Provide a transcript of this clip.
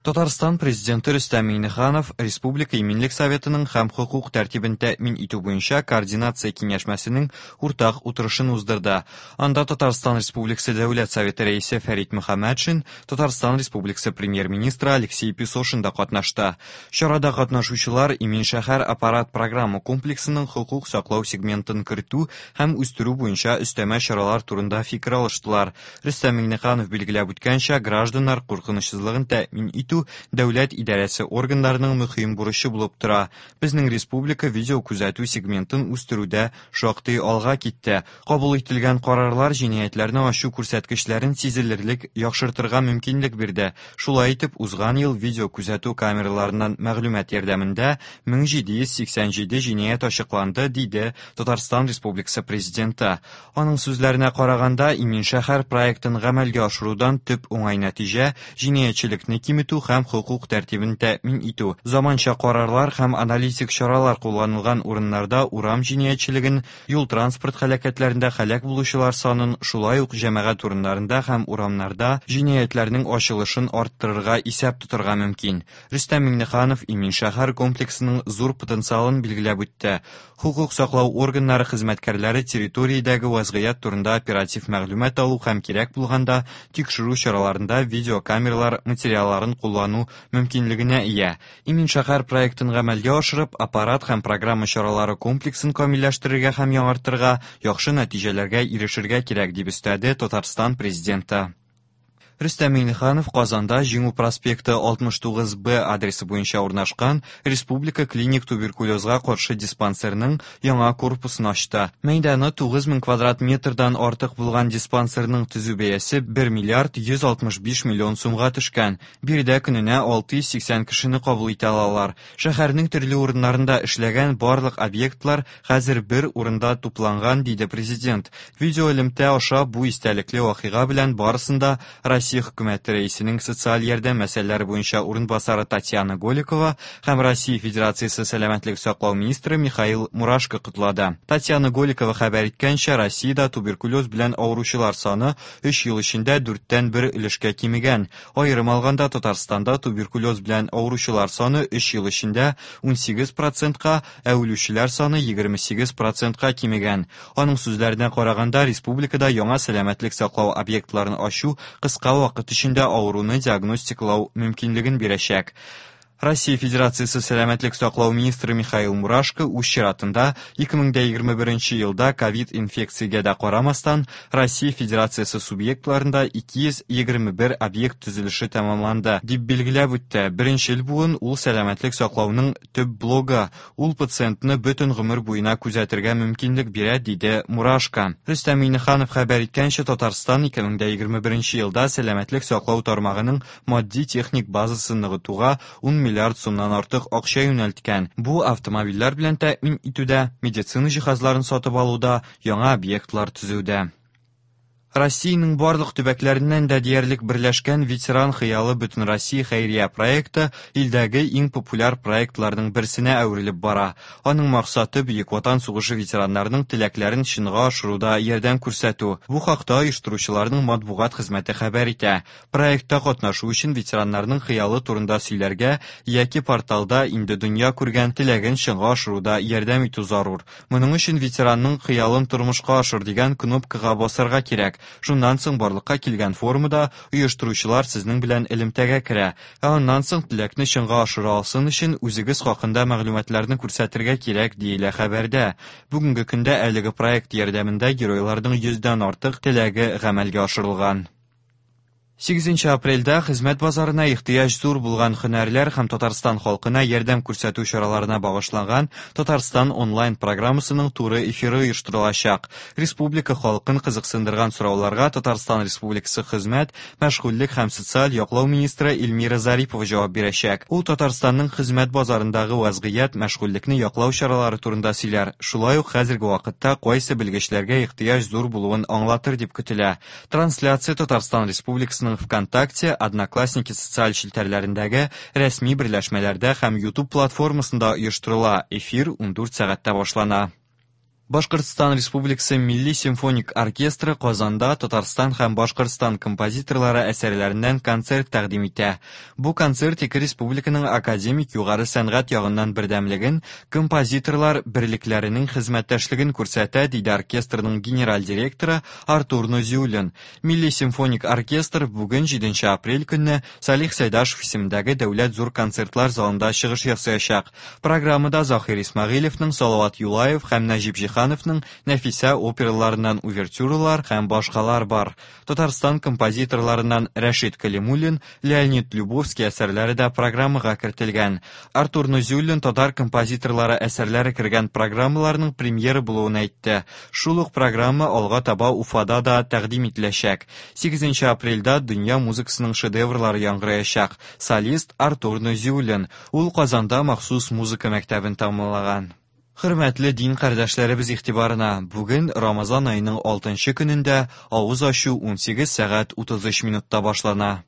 Татарстан Президенты Рөстәм Миңнеханов Республика Иминлек советының һәм хокук тәртибен тәэмин итү буенча координация киңәшмәсенең уртак утырышын уздырды. Анда Татарстан Республикасы Дәүләт Советы Рәисе Фәрит Мөхәммәтшин, Татарстан Республикасы Премьер-министры Алексей Песошин да катнашты. Чарада катнашучылар Имин шәһәр аппарат программа комплексының хокук саклау сегментын кертү һәм үстерү буенча өстәмә чаралар турында фикер алыштылар. Рөстәм Миңнеханов билгеләп үткәнчә, гражданнар куркынычсызлыгын тәэмин итү дәүләт идарәсе органнарының мөһим бурычы булып тора. Безнең республика видеокүзәтү сегментын үстерүдә шактый алга китте. Кабул ителгән карарлар җинаятьләрне ачу күрсәткечләрен сизелерлек яхшыртырга мөмкинлек бирде. Шулай итеп, узган ел видеокүзәтү камераларыннан мәгълүмат ярдәмендә 1787 җинаять ачыкланды, диде Татарстан Республикасы Президенты. Аның сүзләренә караганда, Имин шәһәр проектын гамәлгә ашырудан төп уңай нәтиҗә җинаятьчелекне киметү һәм хокук тәртибен тәэмин итү. Заманча карарлар һәм аналитик чаралар кулланылган урыннарда урам җинаятьчелеген, юл-транспорт һәлакәтләрендә һәлак булучылар санын, шулай ук җәмәгать урыннарында һәм урамнарда җинаятьләрнең ачылышын арттырырга исәп тотарга мөмкин. Рөстәм Миңнеханов Имин шәһәр комплексының зур потенциалын билгеләп үтте. Хокук саклау органнары хезмәткәрләре территориядәге вазгыять турында оператив мәгълүмат алу һәм кирәк булганда тикшерү чараларында видеокамералар материалларын куллану мөмкинлегенә ия. Имин шәһәр проектын гамәлгә ашырып, аппарат һәм программа чаралары комплексын камилләштерергә һәм яңартырга, яхшы нәтиҗәләргә ирешергә кирәк, дип өстәде Татарстан Президенты. Рөстәм Миңнеханов Казанда Җиңү проспекты 69 Б адресы буенча урнашкан Республика клиник туберкулезга каршы диспансерның яңа корпусын ачты. Мәйданы 9000 квадрат метрдан артык булган диспансерның төзү бәясе 1 миллиард 165 миллион сумга төшкән. Биредә көненә 680 кешене кабул итә алалар. Шәһәрнең төрле урыннарында эшләгән барлык объектлар хәзер бер урында тупланган, диде президент. Видеоэлемтә аша бу истәлекле вакыйга белән барысын да Россия хөкүмәте рәисенең социаль ярдәм мәсьәләләре буенча урынбасары Татьяна Голикова һәм Россия Федерациясе сәламәтлек саклау министры Михаил Мурашко котлады. Татьяна Голикова хәбәр иткәнчә, Россиядә туберкулез белән авыручылар саны 3 ел эчендә дүрттән бер өлешкә кимегән. Аерым алганда, Татарстанда туберкулез белән авыручылар саны 3 ел эчендә 18 процентка, ә үлүчеләр саны 28 процентка кимегән. Аның сүзләренә караганда, республикада яңа сәламәтлек саклау объектларын ачу кыска вакыт эчендә авыруны диагностикалау мөмкинлеген бирәчәк. Россия Федерациясе сәламәтлек саклау министры Михаил Мурашко үз чиратында 2021 елда ковид инфекциягә дә карамастан, Россия Федерациясе субъектларында 221 объект төзелеше тәмамланды, дип билгеләп үтте. Беренчел буын ул сәламәтлек саклауның төп блогы. Ул пациентны бөтен гомер буена күзәтергә мөмкинлек бирә, диде Мурашко. Рөстәм Миңнеханов хәбәр иткәнчә, Татарстан 2021 елда сәламәтлек саклау тармагының матди-техник базасын ныгытуга 10 миллиард сумнан артык акча юнәлткән. Бу автомобильләр белән тәэмин итүдә, медицина җиһазларын сатып алуда, яңа объектлар төзүдә. Россиянең барлык төбәкләреннән дә диярлек берләшкән Ветеран хыялы Бөтенроссия хәйрия проекты илдәге иң популяр проектларның берсенә әверелеп бара. Аның максаты Бөек Ватан сугышы ветераннарының теләкләрен чынга ашыруда ярдәм күрсәтү. Бу хакта оештыручыларның матбугат хезмәте хәбәр итә. Проектта катнашу өчен ветераннарның хыялы турында сөйләргә яки порталда инде дөнья күргән теләген чынга ашыруда ярдәм итү зарур. Моның өчен ветеранның хыялын тормышка ашыр дигән кнопкага басарга кирәк. Шуннан соң барлыкка килгән формада оештыручылар сезнең белән элемтәгә керә. Ә аннан соң теләкне чынга ашыра алсын өчен үзегез хакында мәгълүматларны күрсәтергә кирәк, диелә хәбәрдә. Бүгенге көндә әлеге проект ярдәмендә геройларның йөздән артык теләге гамәлгә ашырылган. 8 апрельдә хезмәт базарына ихтыяҗ зур булган һөнәрләр һәм Татарстан халкына ярдәм күрсәтү чараларына багышланган Татарстан онлайн программасының туры эфиры оештырылачак. Республика халкын кызыксындырган сорауларга Татарстан Республикасы хезмәт, мәшгульлек һәм социаль яклау министры Эльмира Зарипова җавап бирәчәк. Ул Татарстанның хезмәт базарындагы вазгыять, мәшгульлекне яклау чаралары турында сөйләр. Шулай ук хәзерге вакытта кайсы белгечләргә ихтыяҗ зур булуын аңлатыр дип көтелә. Трансляция Татарстан Республикасының ВКонтакте, Одноклассники социаль челтәрләрендәге рәсми берләшмәләрдә һәм YouTube платформасында оештырыла. Эфир 14 сәгатьтә башлана. Башкортстан Республикасы Милли симфоник оркестры Казанда Татарстан һәм Башкортстан композиторлары әсәрләреннән концерт тәкъдим итә. Бу концерт ике республиканың академик югары сәнгать ягыннан бердәмлеген, композиторлар берлекләренең хезмәттәшлеген күрсәтә, диде оркестрның генераль директоры Артур Нузиуллин. Милли симфоник оркестр бүген 7 апрель көнне Салих Сәйдашев исемендәге Дәүләт зур концертлар залында чыгыш ясаячак. Программада Заһир Исмәгыйлевның Салават Юлаев һәм Нәҗип Җиһановның Нәфисә операларыннан увертюралар һәм башкалар бар. Татарстан композиторларыннан Рәшит Калимуллин, Леонид Любовский әсәрләре дә программага кертелгән. Артур Нузиуллин татар композиторлары әсәрләре кергән программаларның премьера булуын әйтте. Шул ук программа алга таба Уфада да тәкъдим ителәчәк. 8 апрельдә дөнья музыкасының шедеврлары яңгыраячак. Солист Артур Нузиуллин. Ул Казанда махсус музыка мәктәбен тәмамлаган. Хөрмәтле дин кардәшләребез игътибарына, бүген Рамазан аеның 6 көнендә авыз ачу 18 сәгать 33 минутта башлана.